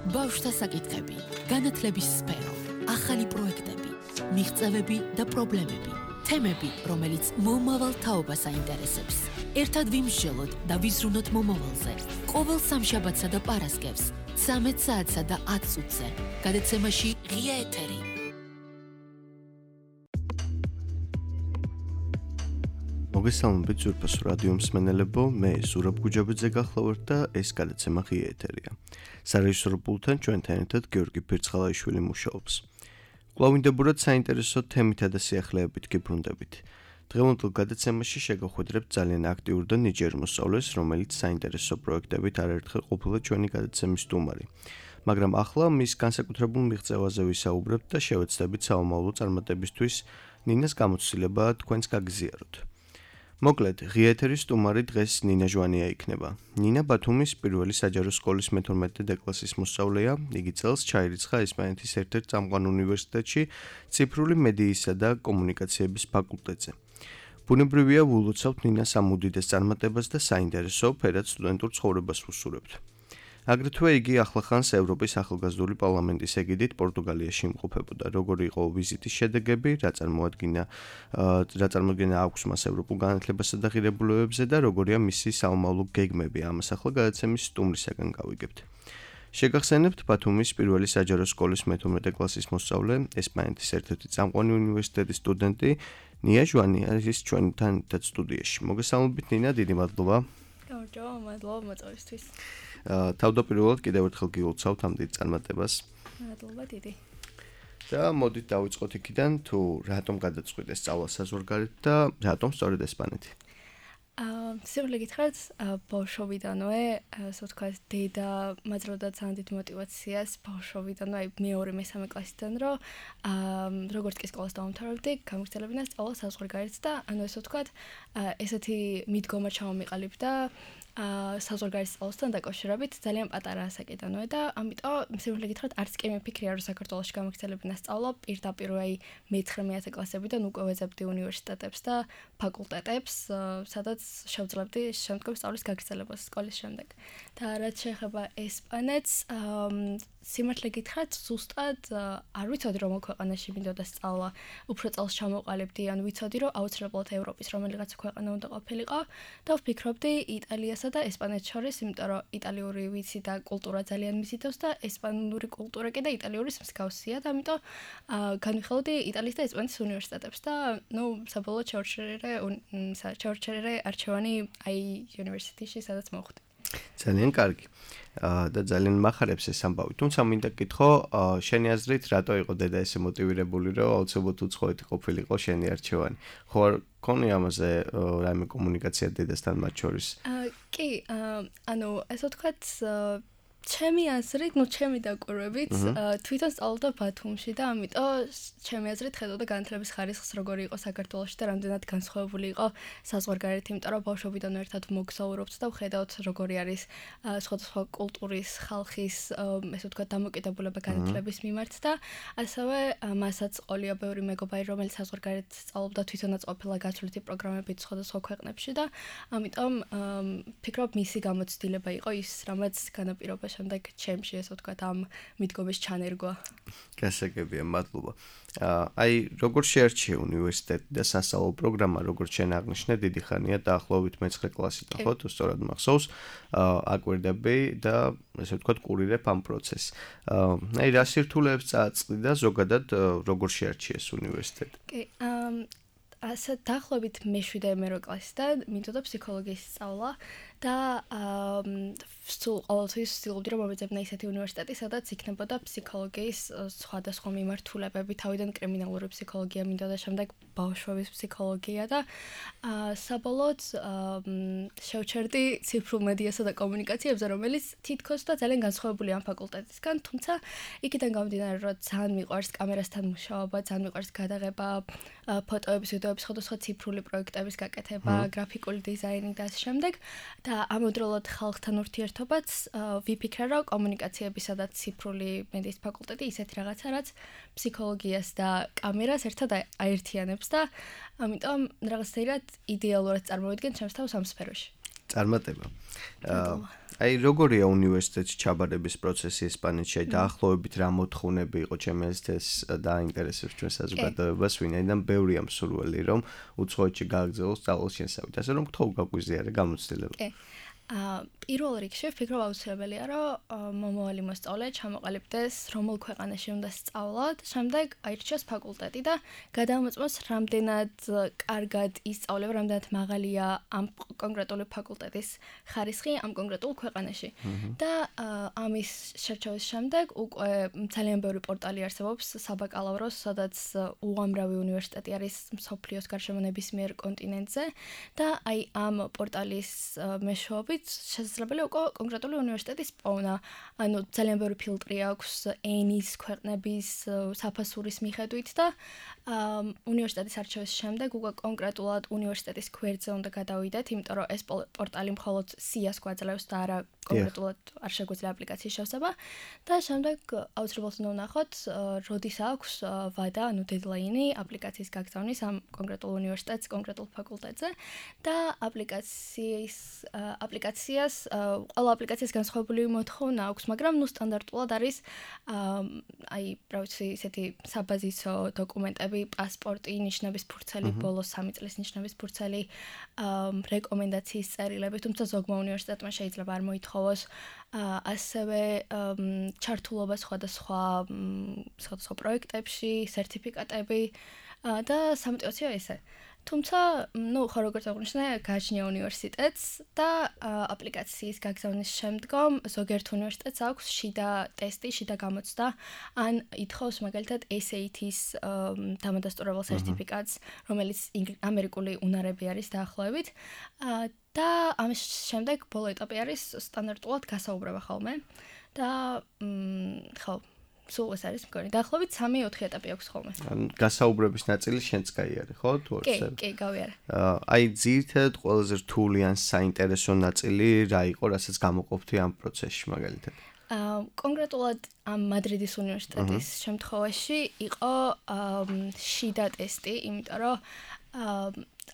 ბავშვთა საკითხები, განათლების სფერო, ახალი პროექტები, მიღწევები და პრობლემები, თემები, რომელიც მომავალ თაობას აინტერესებს. ერთად ვიმსჯელოთ და ვიზრუნოთ მომავალზე. ყოველ სამშაბათსა და პარასკევს, 13 საათსა და 10 წუთზე. გადაცემაში ღია ეთერი. მოგესალმებით ზურფას რადიო მსმენელებო, მე ზურაბ გუჯაბიძე გახლავართ და ეს გადაცემა ღია ეთერია. სარეჟისორო პულტთან ჩვენთან ერთად გიორგი ფირცხალაიშვილი მუშაობს. კვლავინდებურად საინტერესო თემითა და სიახლეებით გიბრუნდებით. დღევანდელ გადაცემაში შეგახვედრებთ ძალიან აქტიურ და ნიჭიერ მოსწავლეს, რომელიც საინტერესო პროექტებით არაერთხელ ყოფილა ჩვენი გადაცემის სტუმარი. მაგრამ ახლა მის განსაკუთრებულ მიღწევაზე ვისაუბრებთ და შევეცდებით საომავლო წარმატებისთვის ნინას გამოცდილება თქვენს გაგზიაროთ. მოკლედ, ღია ეთერის სტუმარი დღეს ნინა ჟვანია იქნება. ნინა ბათუმის პირველი საჯარო სკოლის მე-12 დეკლასის მოსწავლეა. იგი წელს ჩაირიცხა ესპანეთის ერთ-ერთ წამყვან უნივერსიტეტში ციფრული მედიისა და კომუნიკაციების ფაკულტეტზე. ბუნებრივია ვულოცავთ ნინას ამ უდიდეს წარმატებას და საინტერესო ფერად სტუდენტურ ცხოვრებას ვუსურებთ. აგრეთვე იგი ახლახანს ევროპის ახალგაზრდული პარლამენტის ეგიდით პორტუგალიაში იმყოფებოდა. როგორი იყო ვიზიტის შედეგები, რა წარმოადგენა აქვს მას ევროპულ განათლებასა და ღირებულებებზე და როგორია მისი საომავლო გეგმები, ამას ახლა გადაცემის სტუმრისაგან გავიგებთ. შეგახსენებთ ბათუმის პირველი საჯარო სკოლის მე-12 კლასის მოსწავლე, ესპანეთის ერთ-ერთი წამყვანი უნივერსიტეტის სტუდენტი ნია ჟვანია არის ჩვენთან ერთად სტუდიაში. მოგესალმებით ნინა, დიდი მადლობა. მადლობა მოწვევისთვის. თავდაპირველად კიდევ ერთხელ გილოცავთ ამ დიდ წარმატებას. მადლობა დიდი. და მოდით დავიწყოთ იქიდან, თუ რატომ გადაწყვიტეს სწავლა საზღვარგარეთ და რატომ სწორედ ესპანეთი? სიმართლე გითხრათ, ბავშვობიდანვე, ასე ვთქვათ, დედა მაძლევდა ძალიან დიდ მოტივაციას ბავშვობიდანვე, მეორე მესამე კლასიდან, რომ როგორც კი სკოლას დავამთავრებდი, გამიგრძელებინა სწავლა საზღვარგარეთ და ანუ ასე ვთქვათ, ესეთი მიდგომა ჩამომიყალიბდა საზღვარგარეთის სწავლასთან დაკავშირებით ძალიან პატარა ასაკიდანვე და ამიტომ სიმართლე გითხრათ, არც კი მიფიქრია, რომ საქართველოში გამიგრძელებინა სწავლა პირდაპირ მე-9 კლასებიდან უკვე ვეძებდი უნივერსიტეტებს და ფაკულტეტებს, სადაც შევძლებდი შემდგომ სწავლის გაგრძელებას სკოლის შემდეგ. და რაც შეეხება ესპანეთს, სიმართლე გითხრათ, ზუსტად არ ვიცოდი, რომ ქვეყანაში მინდოდა სწავლა, უფრო წელს ჩამოყალიბდი, ან ვიცოდი, რომ აუცილებლად ევროპის რომელიღაც ქვეყანა უნდა ყოფილიყო და ვფიქრობდი იტალიასა და ესპანეთს შორის, იმიტომ რომ იტალიური ვიცი და კულტურა ძალიან მიზიდავს და ესპანური კულტურა კი და იტალიური მსგავსია და ამიტომ განვიხილავდი იტალიის და ესპანეთის უნივერსიტეტებს და საბოლოოდ შევერჩერე არჩევანი University-ში, სადაც მოვხვდი. ძალიან კარგი. და ძალიან მახარებს ეს ამბავი. თუმცა მინდა გითხო, შენი აზრით, რატო იყო დედა ესე მოტივირებული, რომ აუცილებლად უცხოეთი ყოფილიყო შენი არჩევანი? ხო არ ქონი ამაზე რაიმე კომუნიკაცია დედასთან მათ შორის? კი, ანუ ასე ვთქვათ, ჩემი აზრით, ჩემი დაკვირვებით, თვითონ სწავლობდა ბათუმში და ამიტომ ჩემი აზრით ხედავდა განათლების ხარისხს, როგორი იყო საქართველოში და რამდენად განსხვავებული იყო საზღვარგარეთ, იმიტომ რომ ბავშვობიდან ერთად მოგზაურობთ და ვხედავთ, როგორი არის სხვადასხვა კულტურის, ხალხის, ესე ვთქვათ, დამოკიდებულება განათლების მიმართ და ასევე მასაც ყოლია ბევრი მეგობარი, რომელიც საზღვარგარეთ სწავლობდა, თვითონაც ყოფილა გათვლითი პროგრამებით სხვადასხვა ქვეყნებში და ამიტომ ფიქრობ, მისი გამოცდილება იყო ის, რამაც განაპირობა შემდეგ ჩემში ესე ვთქვათ ამ მიდგომის ჩანერგვა. გასაგებია, მადლობა. აი, როგორ შეარჩიე უნივერსიტეტი და სასწავლო პროგრამა, როგორც შენ აღნიშნე, დიდი ხანია დაახლოებით მე-9 კლასიდან, ხო, თუ სწორად მახსოვს, აკვირდები და ესე ვთქვათ, კურირებ ამ პროცესს. აი, რა სირთულეებს წააწყდი და ზოგადად როგორ შეარჩიეს უნივერსიტეტი? კი, ასე დაახლოებით მე-7 კლასიდან მინდოდა ფსიქოლოგიის სწავლა და სულ ყოველთვის ვცდილობდი, რომ მომეძებნა ისეთი უნივერსიტეტი, სადაც იქნებოდა ფსიქოლოგიის სხვადასხვა მიმართულებები, თავიდან კრიმინალური ფსიქოლოგია მინდოდა, შემდეგ ბავშვების ფსიქოლოგია და საბოლოოდ შევჩერდი ციფრულ მედიასა და კომუნიკაციებზე, რომელიც თითქოს და ძალიან განსხვავებულია ამ ფაკულტეტისგან, თუმცა იქიდან გამომდინარე, რომ ძალიან მიყვარს კამერასთან მუშაობა, ძალიან მიყვარს გადაღება, ფოტოების, ვიდეოების, სხვადასხვა ციფრული პროექტების გაკეთება, გრაფიკული დიზაინი და ასე შემდეგ და ამავდროულად ხალხთან ურთიერთობაც ვიფიქრე, რომ კომუნიკაციებისა და ციფრული მედიის ფაკულტეტი ისეთი რაღაცა, რაც ფსიქოლოგიას და კამერას ერთად აერთიანებს და ამიტომ რაღაცნაირად იდეალურად წარმოვიდგენ ჩემს თავს ამ სფეროში. წარმატება. აი როგორია უნივერსიტეტში ჩაბარების პროცესი ესპანეთში? დაახლოებით რა მოთხოვნები იყო ჩემს ეს დაინტერესებს ჩვენ საზოგადოებას, ვინაიდან ბევრია მსურველი რომ უცხოეთში გააგრძელოს სწავლის შესავით. ასე რომ გთხოვ გაგვიზიარე გამოცდილება. პირველ რიგში ვფიქრობ აუცილებელია რომ მომავალი მოსწავლე ჩამოყალიბდეს რომელ ქვეყანაში უნდა სწავლოთ, შემდეგ აირჩიოს ფაკულტეტი და გადამოწმოს რამდენად კარგად ისწავლება, რამდენად მაღალია ამ კონკრეტული ფაკულტეტის ხარისხი ამ კონკრეტულ ქვეყანაში. და ამის შერჩევის შემდეგ უკვე ძალიან ბევრი პორტალი არსებობს საბაკალავროს, სადაც უამრავი უნივერსიტეტი არის მსოფლიოს გარშემო ნებისმიერ კონტინენტზე და აი ამ პორტალის მეშვეობით შესაძლებელია უკვე კონკრეტული უნივერსიტეტის პოვნა. ანუ ძალიან ბევრი ფილტრი აქვს ენის, ქვეყნების, საფასურის მიხედვით და უნივერსიტეტის არჩევის შემდეგ უკვე კონკრეტულად უნივერსიტეტის გვერდზე უნდა გადავიდეთ, იმიტომ რომ ეს პორტალი მხოლოდ სიას გვაძლევს და არა კონკრეტულად არ შეგვიძლია აპლიკაციის შევსება და შემდეგ აუცილებლად უნდა ვნახოთ, როდის აქვს ვადა, ანუ დედლაინი აპლიკაციის გაგზავნის ამ კონკრეტულ უნივერსიტეტს, კონკრეტულ ფაკულტეტზე და ყველა აპლიკაციას განსხვავებული მოთხოვნა აქვს, მაგრამ სტანდარტულად არის აი, რა ვიცი, ისეთი საბაზისო დოკუმენტები, პასპორტი, ნიშნების ფურცელი, ბოლოს 3 წლის ნიშნების ფურცელი, რეკომენდაციის წერილები, თუმცა ზოგმა უნივერსიტეტმა შეიძლება არ მოითხოვოს, ასევე ჩართულობა სხვადასხვა პროექტებში, სერტიფიკატები და სამოტივაციო ესე. თუმცა, ხო როგორც აღნიშნე, გააჩნია უნივერსიტეტს და აპლიკაციის გაგზავნის შემდგომ ზოგიერთ უნივერსიტეტს აქვს შიდა ტესტი, შიდა გამოცდა, ან ითხოვს მაგალითად SAT-ის დამადასტურებელ სერტიფიკატს, რომელიც ამერიკული უნარები არის დაახლოებით. და ამის შემდეგ ბოლო ეტაპი არის სტანდარტულად გასაუბრება ხოლმე. და ხო სულ ეს არის მგონი. დაახლოებით 3-4 ეტაპი აქვს ხოლმე. გასაუბრების ნაწილი შენც გაიარე, ხო? თუ არ ვიცი. კი, გავიარე. აი, ძირითადად ყველაზე რთული ან საინტერესო ნაწილი რა იყო, რასაც გამოყოფთი ამ პროცესში მაგალითად? კონკრეტულად ამ მადრიდის უნივერსიტეტის შემთხვევაში იყო შიდა ტესტი, იმიტომ რომ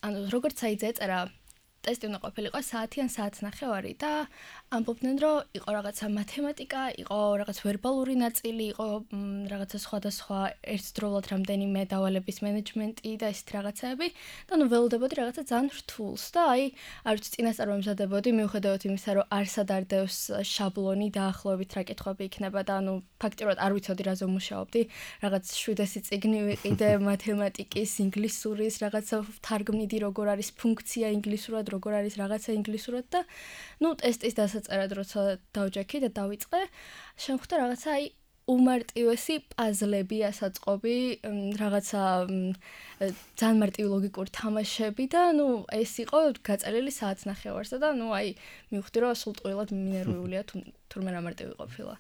ანუ როგორც აიძეწერა ტესტი უნდა ყოფილიყო საათი ან საათნახევარი და ამბობდნენ, რომ იყო რაღაცა მათემატიკა, იყო რაღაც ვერბალური ნაწილი, იყო რაღაცა სხვადასხვა ერთდროულად რამდენიმე დავალების მენეჯმენტი და ესეთ რაღაცები და ნუ ველოდებოდი რაღაცა ძალიან რთულს და აი, არ ვიცი, წინასწარ ვემზადებოდი, მიუხედავად იმისა, რომ არსად არ დევს შაბლონი დაახლოებით რა კითხვები იქნება და ანუ ფაქტიურად არ ვიცოდი რაზე ვმუშაობდი, რაღაც 700 წიგნი ვიყიდე მათემატიკის, ინგლისურის, რაღაცა თარგმნიდი როგორ არის ფუნქცია ინგლისურად, როგორ არის რაღაცა ინგლისურად და ნუ ტესტის დასაწერად როცა დავჯექი და დავიწყე, შემხვდა რაღაცა აი უმარტივესი პაზლები, ასაწყობი, რაღაცა ძალიან მარტივი ლოგიკური თამაშები და ნუ ეს იყო გაწერილი საათნახევარზე და ნუ აი მივხვდი რომ სულ ტყუილად მინერვიულია თურმე რა მარტივი ყოფილა.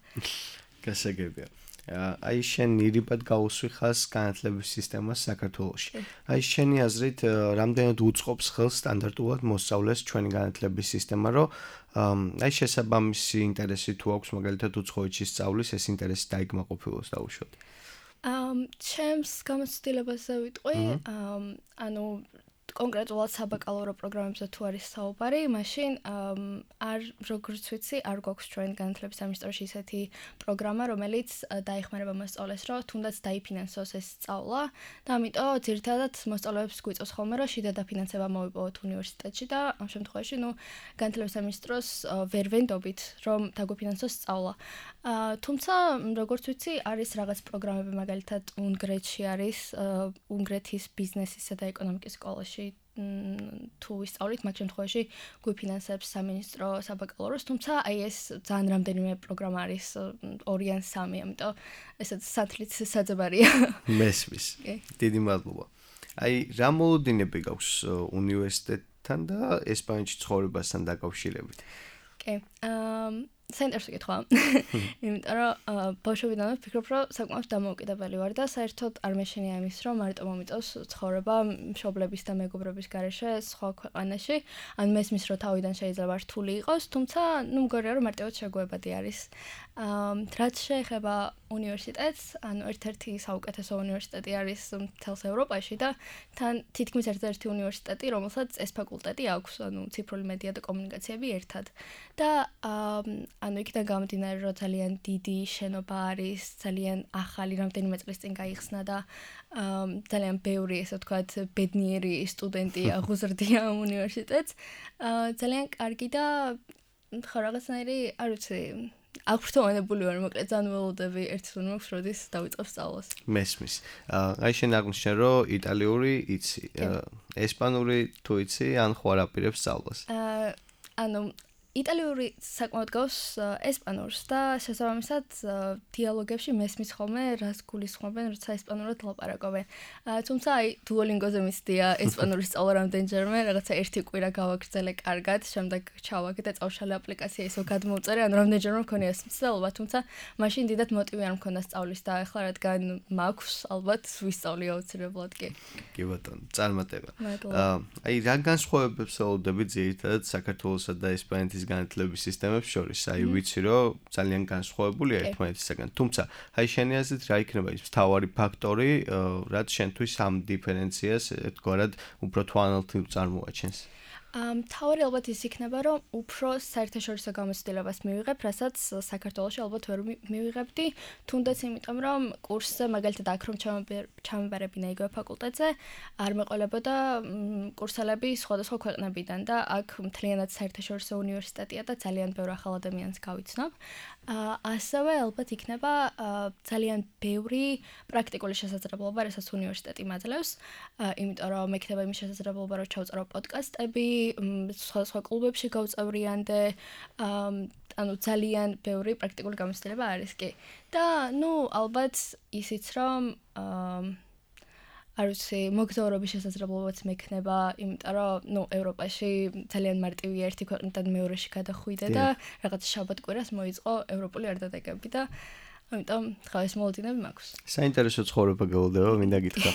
გასაგებია. აი შენ ირიბად გაუსვი ხას განათლების სისტემას საქართველოში. აი შენი აზრით რამდენად უწყობს ხელს სტანდარტულად მოსწავლეს ჩვენი განათლების სისტემა, რომ აი შესაბამისი ინტერესი თუ აქვს მაგალითად უცხოეთში სწავლის, ეს ინტერესი დაიგმაყოფილოს დაუშვათ. ჩემს გამოცდილებაზე ვიტყვი, ანუ კონკრეტულად საბაკალავრო პროგრამებზე თუ არის საუბარი, მაშინ არ როგორც ვიცი, არ გვაქვს ჩვენ განათლების სამინისტროში ისეთი პროგრამა, რომელიც დაეხმარება მოსწავლეს, რომ თუნდაც დაიფინანსოს ეს სწავლა და ამიტომ ძირითადად მოსწავლეებს გვიწევს ხოლმე, რომ შიდა დაფინანსება მოვიპოვოთ უნივერსიტეტში და ამ შემთხვევაში, ნუ განათლების სამინისტროს ვერ ვენდობით, რომ დაგვიფინანსოს სწავლა. თუმცა, როგორც ვიცი, არის რაღაც პროგრამები, მაგალითად, უნგრეთში არის უნგრეთის ბიზნესისა და ეკონომიკის სკოლაში თუ ვისწავლით, მაგ შემთხვევაში გვიფინანსებს სამინისტრო საბაკალავროს, თუმცა აი ეს ძალიან რამდენიმე პროგრამა არის 2 ან 3, ამიტომ ესეც სათლით საძებარია. მესმის. დიდი მადლობა. აი რა მოლოდინები გაქვს უნივერსიტეტთან და ესპანეთში ცხოვრებასთან დაკავშირებით? კი. საინტერესო კითხვა. იმიტომ რომ ბავშვობიდანვე ვფიქრობ, რომ საკმაოდ დამოუკიდებელი ვარ და საერთოდ არ მეშინია იმის, რომ მარტო მომიწევს ცხოვრება მშობლების და მეგობრების გარეშე სხვა ქვეყანაში. ან მესმის, რომ თავიდან შეიძლება რთული იყოს, თუმცა ნუ მგონია, რომ მარტივად შეგუებადი არის. რაც შეეხება უნივერსიტეტს, ანუ ერთ-ერთი საუკეთესო უნივერსიტეტი არის მთელს ევროპაში და თან თითქმის ერთ-ერთი უნივერსიტეტი, რომელსაც ეს ფაკულტეტი აქვს, ანუ ციფრული მედია და კომუნიკაციები ერთად. და ანუ იქიდან გამომდინარე, რომ ძალიან დიდი შენობა არის, ძალიან ახალი, რამდენიმე წლის წინ გაიხსნა და ძალიან ბევრი, ესე ვთქვათ, ბედნიერი სტუდენტი აღუზრდია უნივერსიტეტს. ძალიან კარგი და ხო რაღაცნაირი, არ ვიცი, აღფრთოვანებული ვარ, მოკლედ ძალიან ველოდები ერთის უნდა მაქვს, როდის დავიწყებ სწავლას. მესმის. აი შენ აღნიშნე, რომ იტალიური იცი, ესპანური თუ იცი, ან ხო არ აპირებს სწავლას? ანუ იტალიური საკმაოდ გავს ესპანურს და შესაბამისად დიალოგებში მესმის ხოლმე რას გულისხმობენ, როცა ესპანურად ლაპარაკობენ. თუმცა აი Duolingo-ზე მისდია ესპანურის სწავლა რამდენჯერმე, რაღაცა ერთი კვირა გავაგრძელე კარგად, შემდეგ ჩავაგე და წავშალე აპლიკაცია ისო გადმოვწერე, ანუ რამდენჯერმე მქონია ეს მცდელობა, თუმცა მაშინ დიდად მოტივი არ მქონდა სწავლის და ახლა რადგან მაქვს, ალბათ ვისწავლი აუცილებლად კი. კი ბატონო, წარმატება. აი რა განსხვავებებს ველოდები ძირითადად საქართველოსა და ესპანეთის განათლების სისტემებს შორის, აი ვიცი რომ ძალიან განსხვავებულია ერთმანეთისაგან. თუმცა, აი შენი აზრით რა იქნება ის მთავარი ფაქტორი, რაც შენთვის ამ დიფერენციას ერთგვარად უფრო თვალნათლივ წარმოაჩენს? მთავარი ალბათ ის იქნება, რომ უფრო საერთაშორისო გამოცდილებას მივიღებ, რასაც საქართველოში ალბათ ვერ მივიღებდი, თუნდაც იმიტომ, რომ კურსზე მაგალითად აქ რომ ჩამებარებინა იგივე ფაკულტეტზე, არ მეყოლებოდა კურსელები სხვადასხვა ქვეყნებიდან და აქ მთლიანად საერთაშორისო უნივერსიტეტია და ძალიან ბევრ ახალ ადამიანს გავიცნობ. ასევე ალბათ იქნება ძალიან ბევრი პრაქტიკული შესაძლებლობა, რასაც უნივერსიტეტი მაძლევს, იმიტომ რომ მექნება იმის შესაძლებლობა, რომ ჩავწერო პოდკასტები, სხვადასხვა კლუბებში გავწევრიანდე, ანუ ძალიან ბევრი პრაქტიკული გამოცდილება არის კი. და ნუ ალბათ ისიც რომ არ ვიცი, მოგზაურობის შესაძლებლობაც მექნება, იმიტომ რომ ნუ ევროპაში ძალიან მარტივია ერთი ქვეყნიდან მეორეში გადახვიდე და რაღაც შაბათ-კვირას მოიწყო ევროპული არდადეგები და ამიტომ ხა ეს მოლოდინები მაქვს. საინტერესო ცხოვრება გელოდება, მინდა გითხრა.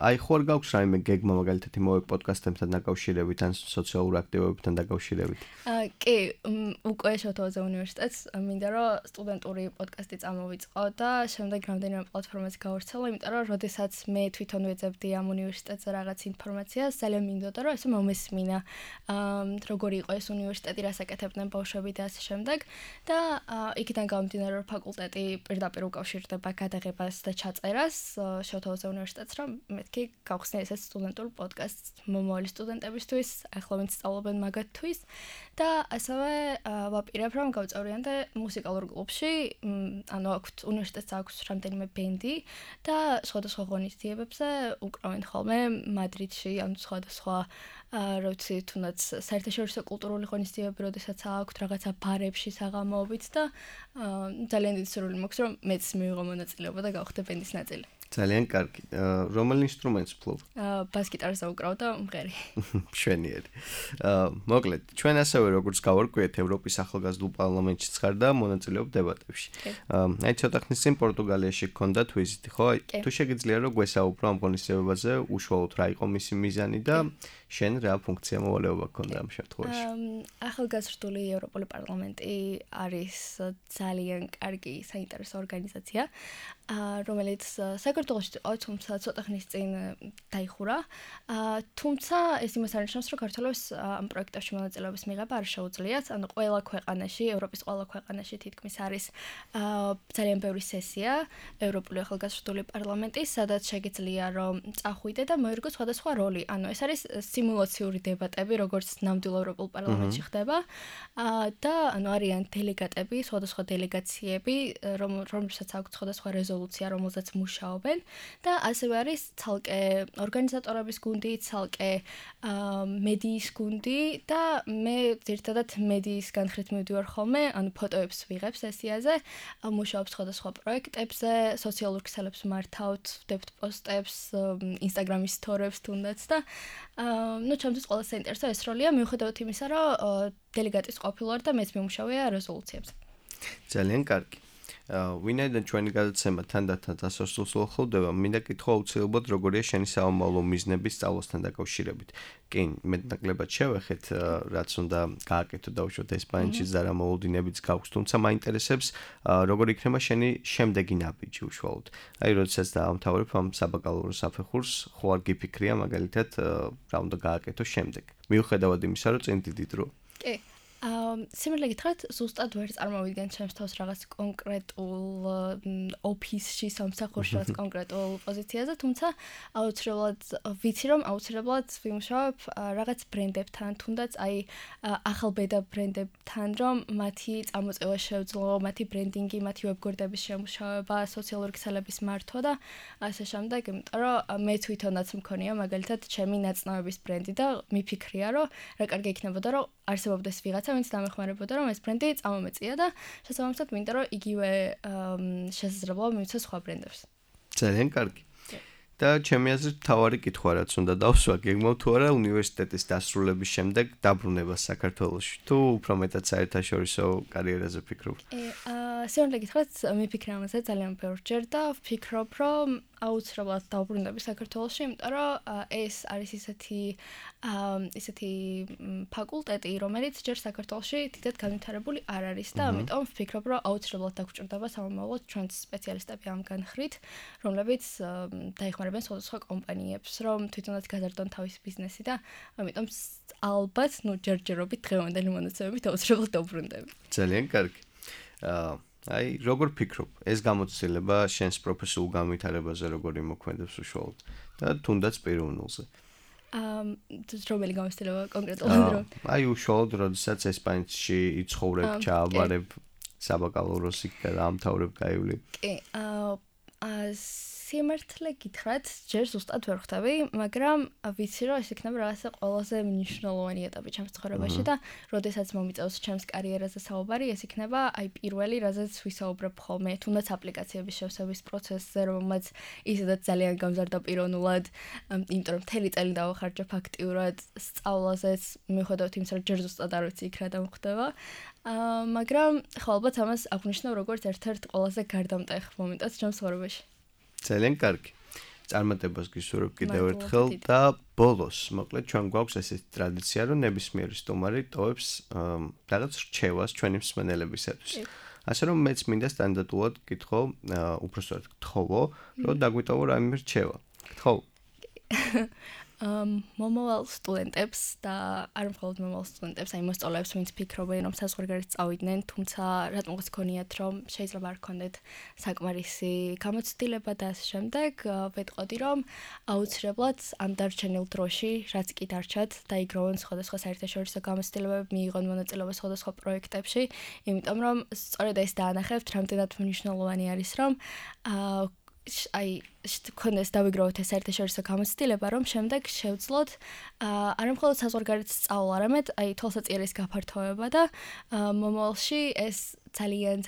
აი ხო არ გაქვს რაიმე გეგმა მაგალითად იმავე პოდკასტებთან დაკავშირებით ან სოციალურ აქტივობებთან დაკავშირებით? კი, უკვე შევთავაზე უნივერსიტეტს, მინდა რომ სტუდენტური პოდკასტი წამოვიწყო და შემდეგ რამდენიმე პლატფორმაზე გავავრცელო, იმიტომ რომ როდესაც მე თვითონ ვეძებდი ამ უნივერსიტეტზე რაღაც ინფორმაციას, ძალიან მინდოდა რომ ესე მომესმინა, როგორი იყო ეს უნივერსიტეტი, რას აკეთებდნენ ბავშვები და ასე შემდეგ და იქიდან გამომდინარე რომ ფაკულტეტი პირდაპირ უკავშირდება გადაღებას და ჩაწერას შევთავაზე უნივერსიტეტს, რომ მეთქი გავხსნე ესეც სტუდენტურ პოდკასტს მომავალი სტუდენტებისთვის, ახლა ვინც სწავლობენ მაგათთვის და ასევე ვაპირებ, რომ გავწევრიანდე მუსიკალურ კლუბში, ანუ აქვთ უნივერსიტეტს აქვს რამდენიმე ბენდი და სხვადასხვა ღონისძიებებზე უკრავენ ხოლმე მადრიდში, ანუ სხვადასხვა როცა თუნდაც საერთაშორისო კულტურული ღონისძიებები, როდესაც აქვთ რაღაცა ბარებში საღამოობით და ძალიან დიდი სურვილი მაქვს, რომ მეც მივიღო მონაწილეობა და გავხდე ბენდის ნაწილი. ძალიან კარგი. რომელ ინსტრუმენტს ფლობ? ბას-გიტარზე ვუკრავ და მღერი. მშვენიერი. მოკლედ, ჩვენ ასევე როგორც გავარკვიეთ, ევროპის ახალგაზრდულ პარლამენტშიც ხარ და მონაწილეობ დებატებში. აი ცოტა ხნის წინ პორტუგალიაში გქონდათ ვიზიტი, ხო? თუ შეგიძლია რომ გვესაუბრო ამ ღონისძიებაზე, უშუალოდ რა იყო მისი მიზანი და შენ რა ფუნქცია მოვალეობა გქონდა ამ შემთხვევაში? ახალგაზრდული ევროპული პარლამენტი არის ძალიან კარგი საინტერესო ორგანიზაცია, რომელიც საქართველოში იყო, თუმცა ცოტა ხნის წინ დაიხურა. თუმცა ეს იმას არნიშნავს, რომ საქართველოს ამ პროექტებში მონაწილეობის მიღება არ შეუძლიათ, ანუ ყველა ქვეყანაში, ევროპის ყველა ქვეყანაში თითქმის არის ძალიან ბევრი სესია ევროპული ახალგაზრდული პარლამენტის, სადაც შეგიძლია რომ წახვიდე და მოერგო სხვადასხვა როლი. ანუ ეს არის სიმულაციური დებატები, როგორც ნამდვილ ევროპულ პარლამენტში ხდება და ანუ არიან დელეგატები, სხვადასხვა დელეგაციები, რომელსაც აქვს სხვადასხვა რეზოლუცია, რომელზეც მუშაობენ და ასევე არის ცალკე ორგანიზატორების გუნდი, ცალკე მედიის გუნდი და მე ძირითადად მედიის განხრით მივდივარ ხოლმე, ანუ ფოტოებს ვიღებ სესიაზე, მუშაობ სხვადასხვა პროექტებზე, სოციალურ ქსელებს მართავთ, ვდებთ პოსტებს, ინსტაგრამის სტორიებს თუნდაც და ნუ ჩემთვის ყველა საინტერესო ეს როლია, მიუხედავად იმისა, რომ დელეგატის ყოფილი ვარ და მეც მიმუშავია რეზოლუციებზე. ძალიან კარგი. ვინაიდან ჩვენი გადაცემა თანდათან დასასრულს ახლოვდება, მინდა კითხვა აუცილებლად როგორია შენი საომავლო მიზნები სწავლასთან დაკავშირებით. კი, მეტნაკლებად შევეხეთ, რაც უნდა გააკეთო დავუშვათ ესპანეთში და რა მოლოდინებიც გაქვს, თუმცა მაინტერესებს როგორ იქნება შენი შემდეგი ნაბიჯი უშუალოდ. აი, როდესაც დაამთავრებ ამ საბაკალავრო საფეხურს, ხო არ გიფიქრია მაგალითად რა უნდა გააკეთო შემდეგ. მიუხედავად იმისა, რომ წინ დიდი დრო. კი. სიმართლე გითხრათ, ზუსტად ვერ წარმოვიდგენ ჩემს თავს რაღაც კონკრეტულ ოფისში, სამსახურში რაღაც კონკრეტულ პოზიციაზე, თუმცა აუცილებლად ვიცი, რომ აუცილებლად ვიმუშავებ რაღაც ბრენდებთან, თუნდაც აი ახალ ბედა ბრენდებთან, რომ მათი წამოწევა შევძლო, მათი ბრენდინგი, მათი ვებგვერდების შემუშავება, სოციალური ქსელების მართვა და ასე შემდეგ, იმიტომ რომ მე თვითონაც მქონია მაგალითად ჩემი ნაწნავების ბრენდი და მიფიქრია, რომ რა კარგი იქნებოდა, რომ არსებობდეს ვიღაცა, ვინც დამეხმარებოდა, რომ ეს ბრენდი წამომეწია და შესაბამისად მინდა, რომ იგივე შესაძლებლობა მივიცეს სხვა ბრენდებს. ძალიან კარგი. და ჩემი აზრით თავარი კითხვა რაც უნდა დავსვა, გეგმავ თუ არა უნივერსიტეტის დასრულების შემდეგ დაბრუნება საქართველოში, თუ უფრო მეტად საერთაშორისო კარიერაზე ფიქრობ? სიმართლე გითხრათ, მიფიქრე ამაზე ძალიან ბევრჯერ და ვფიქრობ, რომ აუცილებლად დავბრუნდები საქართველოში, იმიტომ რომ ეს არის ისეთი ფაკულტეტი, რომელიც ჯერ საქართველოში დიდად განვითარებული არ არის და ამიტომ ვფიქრობ, რომ აუცილებლად დაგჭირდება სამომავლოდ ჩვენც სპეციალისტები ამ განხრით, რომლებიც დაეხმარებიან სხვადასხვა კომპანიებს, რომ თვითონაც გაზარდონ თავისი ბიზნესი და ამიტომ ალბათ, ჯერჯერობით დღევანდელი მონაცემებით აუცილებლად დავბრუნდები. ძალიან კარგი. აი, როგორ ფიქრობ, ეს გამოცდილება შენს პროფესიულ განვითარებაზე როგორ იმოქმედებს უშუალოდ და თუნდაც პიროვნულზე? რომელი გამოცდილება კონკრეტულად? აი, უშუალოდ, როდესაც ესპანეთში იცხოვრებ, ჩააბარებ, საბაკალავროს იქ დაამთავრებ, გაივლი. კი, სიმართლე გითხრათ, ჯერ ზუსტად ვერ ხვდები, მაგრამ ვიცი, რომ ეს იქნება რაღაცა ყველაზე მნიშვნელოვანი ეტაპი ჩემს ცხოვრებაში და როდესაც მომიწევს ჩემს კარიერაზე საუბარი, ეს იქნება აი პირველი, რაზეც ვისაუბრებ ხოლმე, თუნდაც აპლიკაციების შევსების პროცესზე, რომელმაც ისედაც ძალიან გამზარდა პიროვნულად, იმიტომ რომ მთელი წელი დავახარჯე აქტიურად სწავლაზეც, მიუხედავად იმისა, რომ ჯერ ზუსტად არ ვიცი იქ რა დამხდება. მაგრამ ხო ალბათ ამას აღნიშნავ როგორც ერთ-ერთ ყველაზე გარდამტეხ მომენტად ჩემს ცხოვრებაში. ძალიან კარგი. წარმატებას გისურვებ კიდევ ერთხელ და ბოლოს, მოკლედ ჩვენ გვაქვს ესეთი ტრადიცია, რომ ნებისმიერი სტუმარი ტოვებს რაღაც რჩევას ჩვენი მსმენელებისათვის. ასე რომ მეც მინდა სტანდარტულად გითხო, უпростоად გთხოვო, რომ დაგვიტოვო რაიმე რჩევა. გთხოვ. მომავალ სტუდენტებს და არ მხოლოდ მომავალ სტუდენტებს, აი მოსწავლეებს, ვინც ფიქრობენ, რომ საზღვარგარეთ წავიდნენ, თუმცა რატომღაც გქონიათ, რომ შეიძლება არ გქონდეთ საკმარისი გამოცდილება და ასე შემდეგ, ვეტყოდი, რომ აუცილებლად ამ დარჩენილ დროში, რაც კი დარჩათ, დაიგროვონ სხვადასხვა საერთაშორისო გამოცდილებები, მიიღონ მონაწილეობა სხვადასხვა პროექტებში, იმიტომ რომ სწორედ ეს დაანახებთ, რამდენად მნიშვნელოვანი არის, რომ აი ქონდეს დავიგროვოთ ეს საერთაშორისო გამოცდილება, რომ შემდეგ შევძლოთ არა მხოლოდ საზღვარგარეთ სწავლა, არამედ აი თვალსაჩინოს გაფართოება და მომავალში ეს ძალიან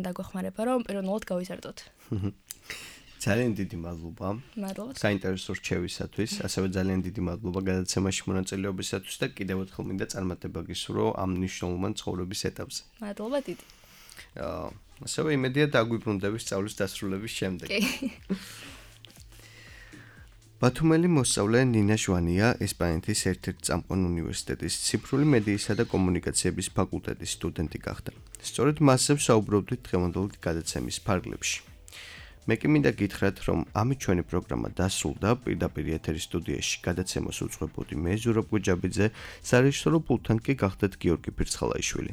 დაგვეხმარება, რომ პიროვნულად გავიზარდოთ. ძალიან დიდი მადლობა. მადლობა. საინტერესო რჩევისათვის, ასევე ძალიან დიდი მადლობა გადაცემაში მონაწილეობისათვის და კიდევ ერთხელ მინდა წარმატება გისურვო ამ მნიშვნელოვან ცხოვრების ეტაპზე. მადლობა დიდი. ასევე იმედია დაგვიბრუნდები სწავლის დასრულების შემდეგ. ბათუმელი მოსწავლე ნინა ჟვანია ესპანეთის ერთ-ერთი წამყვან უნივერსიტეტის ციფრული მედიისა და კომუნიკაციების ფაკულტეტის სტუდენტი გახდა. სწორედ მასზე ვსაუბრობდით დღევანდელი გადაცემის ფარგლებში. მე კი მინდა გითხრათ, რომ ამით ჩვენი პროგრამა დასრულდა, პირდაპირ ეთერის სტუდიაში გადაცემას უძღვებოდი მე ზურაბ გუჯაბიძე, სარეჟისორო პულტთან კი გახდათ გიორგი ფირცხალაიშვილი.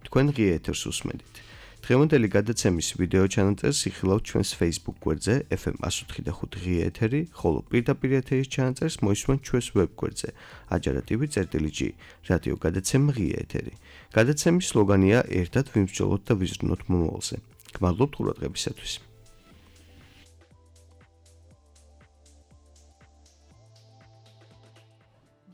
თქვენ ღია ეთერს უსმენთ. დღევანდელი გადაცემის ვიდეო ჩანაწერს იხილავთ ჩვენს Facebook გვერდზე FM 104.5 ღია ეთერი, ხოლო პირდაპირ ეთერის ჩანაწერს მოისმენთ ჩვენს ვებ გვერდზე ajara.tv/g რადიო გადაცემა ღია ეთერი. გადაცემის სლოგანია ერთად ვიმსჯელოთ და ვიზრუნოთ მომავალზე. გმადლობთ ყურადღებისათვის.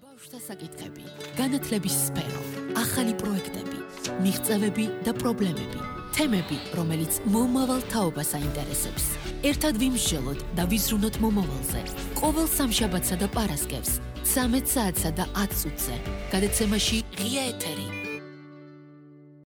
ბავშვთა საკითხები, განათლების სფერო, ახალი პროექტები, მიღწევები და პრობლემები. თემები, რომელიც მომავალ თაობას აინტერესებს. ერთად ვიმსჯელოთ და ვიზრუნოთ მომავალზე. ყოველ სამშაბათსა და პარასკევს 13 საათსა და 10 წუთზე. გადაცემაში ღია ეთერი.